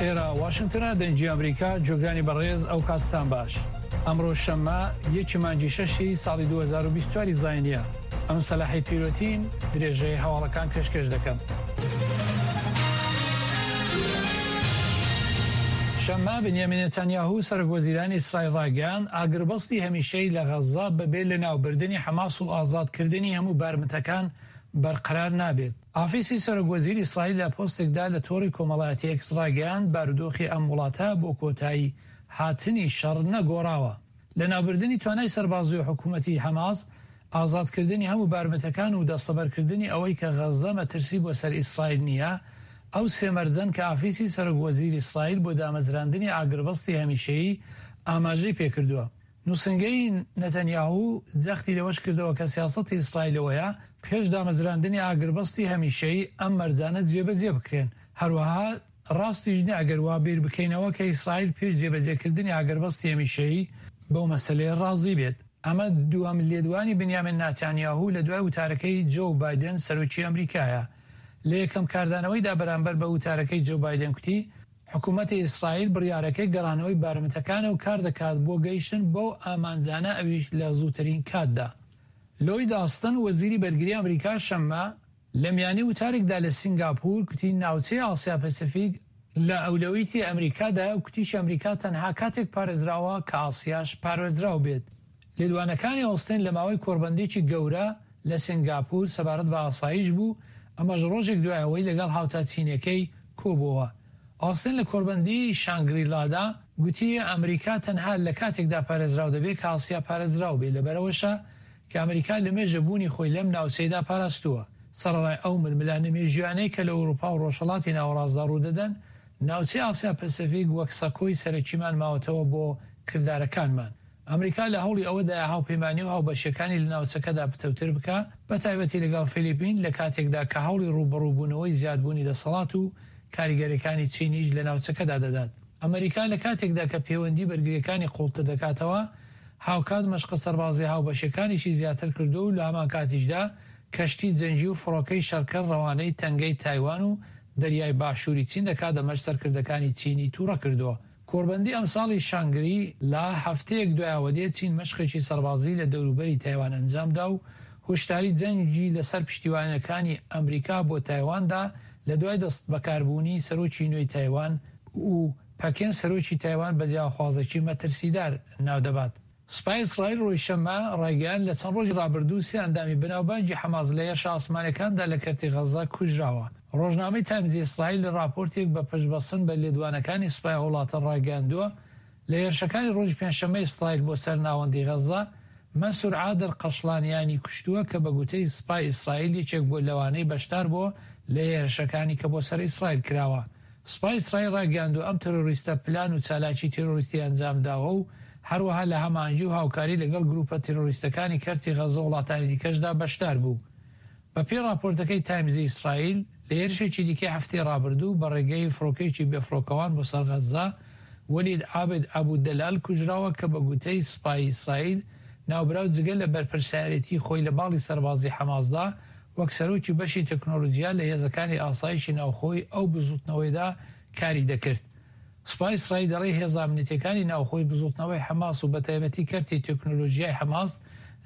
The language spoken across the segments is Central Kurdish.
ئێرە واشنگتنە دەنگی ئەمریکا جۆگرانی بەڕێز ئەو کاتتان باش ئەمڕۆ شەممە یەکی مانگی شەشی ساڵی 2024 زاینیە ئەم سەلاحی پیرۆتین درێژەی هەواڵەکان پێشکەش دەکەم. شەممە، بنیامین نەتانیاهو، سەرۆکوەزیرانی ئیسرائیل ڕایگەیاند، ئاگربەستی هەمیشەیی لە غەززە بەبێ لەناوبردنی حەماس و ئازادکردنی هەموو بارمتەکان بەرقەرار نابێت. ئافیسی سەرۆکوەزیر ئیسرائیل لە پۆستێکدا لە تۆڕی کۆمەڵایەتی ئێکس ڕایگەیاند، بارودۆخی ئەم وڵاتە بۆ کۆتایی هاتنی شەڕ نەگۆڕاوە. لەناوبردنی توانای سەربازی و حکومەتی حەماس، ئازادکردنی هەموو بارمتەکان و دەستەبەرکردنی ئەوەی کە غەززە مەترسی بۆ سەر ئیسرائیل نییە، ئەو سێ مەرجەن کە ئافیسی سەرۆک وەزیر ئیسرائیل بۆ دامەزراندنی ئاگربەستی هەمیشەیی ئاماژەی پێکردووە. نووسنگەی نەتەنیاهو جەختی لەوەش کردەوە کە سیاسەتی ئیسرائیل ئەوەیە پێش دامەزراندنی ئاگربەستی هەمیشەیی ئەم مەرجانە جێبەجێ بکرێن، هەروەها ڕاستیش نییە ئەگەر وا بیر بکەینەوە کە ئیسرائیل پێش جێبەجێکردنی ئاگربەستی هەمیشەیی بەو مەسەلەیە ڕازی بێت. ئەمە دووەم لێدوانی بنیامین ناتانیاهو لە دوای وتارەکەی جۆو بایدن سەرۆکی ئەمریکایە. لە یەکەم کاردانەوەیدا بەرامبەر بە وتارەکەی جۆو بایدن کوتی، حکومەتی ئیسرائیل بڕیارەکەی گەڕانەوەی بارمتەکانە و کاردەکات بۆ گەیشتن بەو ئامانجانە ئەویش لە زووترین کاتدا. لۆید ئاستن وەزیری بەرگری ئەمریکا شەممە، لە میانی وتارێکدا لە سینگاپور کوتی ناوچەی ئاسیا پەسیفیک لە ئەولەویتی ئەمریکادایە و کوتیشی ئەمریکا تەنها کاتێک پارێزراوە کە ئاسیاش پارێزراو بێت. لێدوانەکانی ئۆستن لە ماوەی کۆڕبەندێکی گەورە لە سینگاپور سەبارەت بە ئاسایش بوو، ئەمەش ڕۆژێک دوای ئەوەی لەگەڵ هاوتا چینیەکەی کۆبووەوە. ئۆستن لە کۆڕبەندی شانگریلادا گوتی ئەمریکا تەنها لە کاتێکدا پارێزراو دەبێت کە ئاسیا پارێزراو بێت، لەبەرئەوەشە کە ئەمریکا لەمێژە بوونی خۆی لەم ناوچەیدا پاراستووە. سەرەڕای ئەو ململانێ مێژوویانەی کە لە ئەوروپا و ڕۆژهەڵاتی ناوەڕاستدا ڕوودەدەن، ناوچەی ئاسیا پەسەفیک وەک سەکۆی سەرەکیمان ماوەتەوە بۆ کردارەکانمان. ئەمریکا لە هەوڵی ئەوەدایە هاوپەیمانی و هاوبەشییەکانی لە ناوچەکەدا پتەوتر بکا، بەتایبەتی لەگەڵ فیلیپین، لە کاتێکدا کە هەوڵی ڕووبەڕووبوونەوەی زیادبوونی دەسەڵات و کاریگەرییەکانی چینیش لە ناوچەکەدا دەدات. ئەمەریکا لە کاتێکدا کە پێوەندی بەرگرییەکانی قووڵتر دەکاتەوە، هاوکات مەشقە سەربازییە هاوبەشەکانیشی زیاتر کردووە و لە هەمانکاتیشدا کەشتی جەنگی و فڕۆکەی شەڕکەر ڕەوانەی تەنگەی تایوان و دەریای باشووری چین دەکات، ئەمەش سەرکردەکانی چینی تووڕە کردووە. کۆڕبەندی ئەمساڵی شانگری لا هەفتەیەک دوای ئەوە دێت چین مەشقێکی سەربازی لە دەوروبەری تایوان ئەنجامدا و هۆشداری جەنگی لەسەر پشتیوانەکانی ئەمریکا بۆ تایوان دا لە دوای دەستبەکاربوونی سەرۆکی نوێی تایوان و پەکین سەرۆکی تایوان بە جیاخوازێکی مەترسیدار ناودەبات. سوپای ئیسرائیل ڕۆژی شەممە ڕایگەیاند، لە چەند ڕۆژی ڕابردوو سێ ئەندامی بەناوبانگی حەماس لە هێرشە ئاسمانیەکاندا لە کەرتی غەززە کوژراوە. ڕۆژنامەی تایمزی ئیسرائیل لە ڕاپۆرتێک بە پشتبەستن بە لێدوانەکانی سوپای ئەو وڵاتە ڕایگەیاندووە، لە هێرشەکانی ڕۆژی پێنجشەممەی ئیسرائیل بۆ سەر ناوەندی غەززە، مەنسور عادل قەشڵانیانی کوشتووە کە بە گوتەی سوپای ئیسرائیل یەکێک بووە لەوانەی بەشدار بووە لە هێرشەکانی کە بۆ سەر ئیسرائیل کراوە. سوپای ئیسرائیل ڕایگەیاندووە ئەم تێرۆریستە پلان و چالاکی تێرۆریستی ئەنجام داوە و هەروەها لە هەماهەنگی و هاوکاری لەگەڵ گرووپە تێرۆریستەکانی کەرتی غەززە و وڵاتانی دیکەشدا بەشدار بوو. بە پێی ڕاپۆرتەکەی تایمزی ئیسرائیل، لە هێرشێکی دیکەی هەفتەی ڕابردوو بە ڕێگەی فڕۆکەیەکی بێفڕۆکەوان بۆ سەر غەززە، وەلید عابد ئەبو دەلال کوژراوە کە بە گوتەی سوپای ئیسرائیل، ناوبراو جگە لە بەرپرسیارێتی خۆی لە باڵی سەربازی حەماسدا، وەک سەرۆکی بەشی تەکنۆلۆجیا لە هێزەکانی ئاسایشی ناوخۆی ئەو بزووتنەوەیدا کاری دەکرد. سوپای ئیسرائیل دەڵێ هێزە ئەمنیتیەکانی ناوخۆی بزووتنەوەی حەماس و بەتایبەتی کەرتی تەکنۆلۆجیای حەماس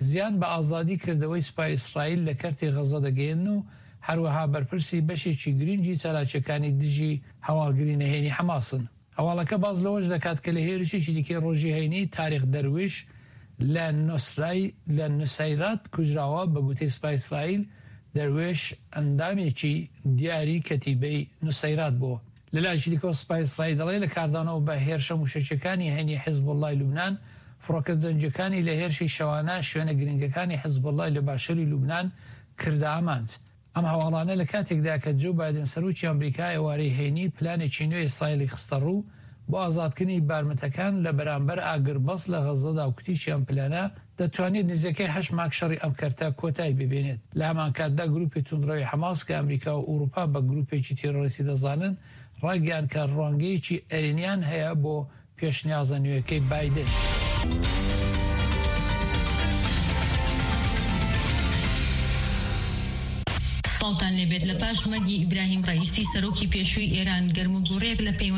زیان بە ئازادی کردەوەی سوپای ئیسرائیل لە کەرتی غەزە دەگەیەنن و هەروەها بەرپرسی بەشێکی گرنگی چالاکیەکانی دژی هەواڵگری نهێنی حەماسن. هەواڵەکە باس لەوەش دەکات کە لە هێرشێکی دیکەی ڕۆژی هەینی تاریق دەرویش لە نوسرای لە نوسەیرات کوژراوە، بە گوتەی سوپای ئیسرائیل دەروێش ئەندامێکی دیاری کەتیبەی نوسەیرات بووە. لە لایەکی دیکەوە سوپای ئیسرائیل دەڵێت لە کاردانەوە بە هێرشە موشەکیەکانی هەینی حیزبوڵڵای لوبنان، فڕۆکە جەنگیەکانی لە هێرشی شەوانە شوێنە گرنگەکانی حیزبوڵڵای لە باشوری لوبنان کردە ئامانج. ئەم هەواڵانە لە کاتێکدایە کە جۆو بایدن سەرۆکی ئەمریکا ئێوارەی هەینی پلانێکی نوێی ئیسرائیلی خستەڕوو بۆ ئازادکردنی بارمتەکان لە بەرامبەر ئاگربەست لە غەززەدا و کوتیشی ئەم پلانە دەتوانێت نزیکەی هەشت مانگ شەڕی ئەم کەرتە کۆتایی پێبێنێت. لە هەمانکاتدا گروپی توندڕەوی حەماس کە ئەمریکا و ئەوروپا بە گروپێکی تیرۆریستی دەزانن ڕایگەیاند کە ڕوانگەیەکی ئەرێنیان هەیە بۆ پێشنیازە نوێکەی بایدن. سڵاوتان لێبێت لە پاش مەرگی ئیبراهیم ڕەئیسی سەرۆکی پێشووی ئێران گەرموگوڕیەک لە پەیوەندی.